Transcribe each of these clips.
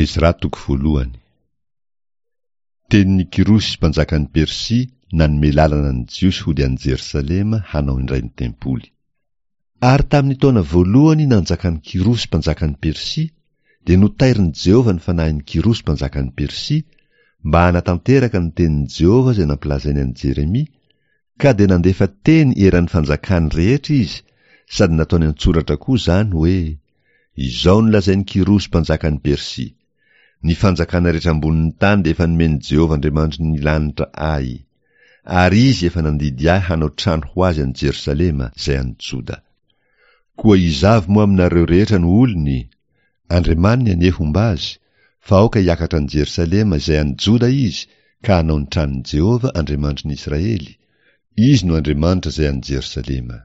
Ezra toko voalohany. Tenin'i Kyrosy mpanjakan'i Persia nanome lalana ny Jiosy hody any Jerosalema hanao indray ny tempoly. Ary tamin'ny taona voalohany nanjakan'i Kyrosy mpanjakan'i Persia, dia notairin'i Jehovah ny fanahin'i Kyrosy mpanjakan'i Persia, mba hanatanteraka ny tenin'i Jehovah izay nampilazainy an'i Jeremia, ka dia nandefa teny eran'ny fanjakany rehetra izy, sady nataony an-tsoratra koa izany hoe, Izao no lazain'i Kyrosy mpanjakan'i Persia, Ny fanjakana rehetra ambonin'ny tany dia efa nomen'i Jehovah Andriamanitry ny lanitra ahy, ary izy efa nandidy ahy hanao trano ho azy any Jerosalema, izay any Joda. Koa iza avy moa aminareo rehetra no olony? Andriamaniny anie homba azy, fa aoka hiakatra any Jerosalema izay any Joda izy ka hanao ny tranon'i Jehovah Andriamanitry ny Israely, Izy no Andriamanitra izay any Jerosalema.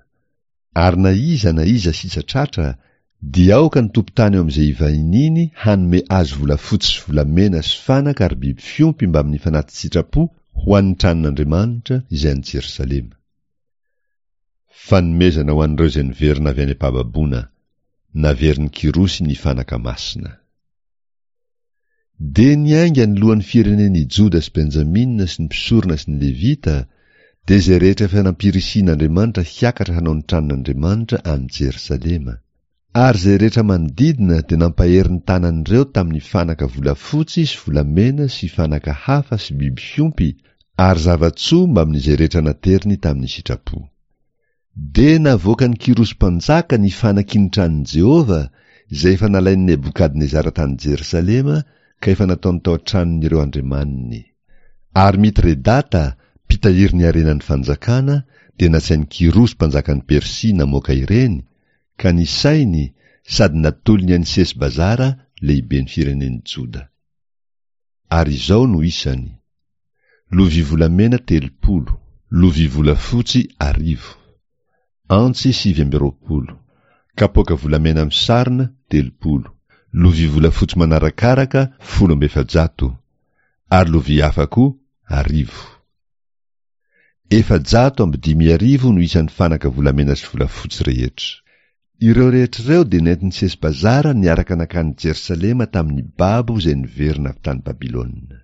Ary na iza na iza sisa tratra, dia aoka ny tompon-tany eo amin'izay ivahiniany hanome azy volafotsy sy volamena sy fanaka ary biby fiompy mbamin'ny fanati-tsitrapo ho an'ny tranon'Andriamanitra izay any Jerosalema. Fanomezana ho an'ireo izay niverina avy any am-pahababoana, naverin'i Kyrosy ny fanaka masina. Dia niainga ny lohan'ny firenen' i Joda sy Benjamina sy ny mpisorona sy ny Levita, dia izay rehetra efa nampirisihin' Andriamanitra hiakatra hanao ny tranon' Andriamanitra any Jerosalema. Ary izay rehetra manodidina dia nampahery ny tanan' ireo tamin' ny fanaka volafotsy sy volamena sy fanaka hafa sy biby fiompy ary zava-tsoa mbamin' izay rehetra nateriny tamin' ny sitrapo. Dia navoakan'i Kyrosy mpanjaka ny fanaky ny tranon'i Jehovah, izay efa nalain'i Nebokadnezara tany Jerosalema ka efa nataony tao an-tranon'ireo andriamaniny. Ary Mitredata, mpitahiry ny harenan'ny fanjakana, dia nasain'i Kyrosy mpanjakan'i Persia namoaka ireny, ka nisainy sady natolony an'i Sesbazara lehiben'ny firenen'i Joda. Ary izao no isany, lovia volamena 30, lovia volafotsy arivo, antsy 29, kapoaka volamena misarona 30, lovia volafotsy manarakaraka 410, ary lovia hafa koa arivo. 5400 no isan'ny fanaka volamena sy volafotsy rehetra. Ireo rehetra ireo dia nentin'i Sesbazara niaraka nankany Jerosalema tamin'ny babo izay niverina avy tany Babylona.